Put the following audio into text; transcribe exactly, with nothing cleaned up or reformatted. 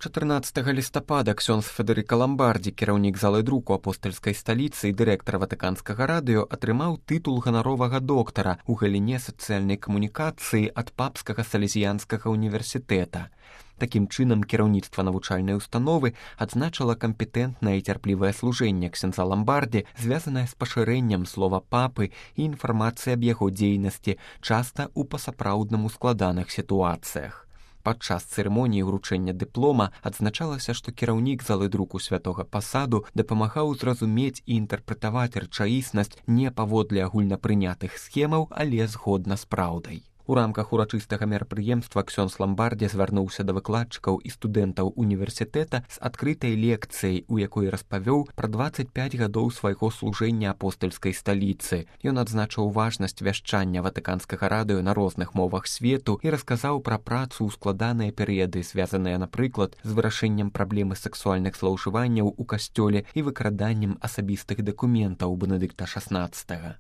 чатырнаццатага лістапада ксёндз Федэрыка Ламбардзі, кіраўнік залы друку апостальскай сталіцы і дырэктар ватыканскага радыё, атрымаў тытул ганаровага доктара ў галіне сацыяльнай камунікацыі ад папскага салезіянскага універсітэта. Такім чынам, кіраўніцтва навучальнай установы адзначыла кампетэнтнае і цярплівае служэнне ксяндза Ламбардзі, звязанае з пашырэннем слова папы і інфармацыі аб яго дзейнасці, часта ў пасапраўдным ускладаных сітуацыях. Падчас цырымоніі ўручэння дыплома адзначалася, што кіраўнік залы друку святога пасаду дапамагаў зразумець і інтэрпрэтаваць рэчаіснасць не паводле агульнапрынятых схемаў, але згодна з праўдай. У рамках урачыстага мерапрыемства ксёндз Ламбардзі звярнуўся да выкладчыкаў і студэнтаў універсітэта з адкрытай лекцыяй, у якой распавёў пра дваццаць пяць гадоў свайго служэння апостальскай сталіцы. Ён адзначыў важнасць вяшчання ватыканскага радыё на розных мовах свету і расказаў пра працу ў складаныя перыяды, звязаныя, напрыклад, з вырашэннем праблемы сексуальных злоўжыванняў у касцёле і выкраданнем асабістых дакументаў Бенедыкта шаснаццатага.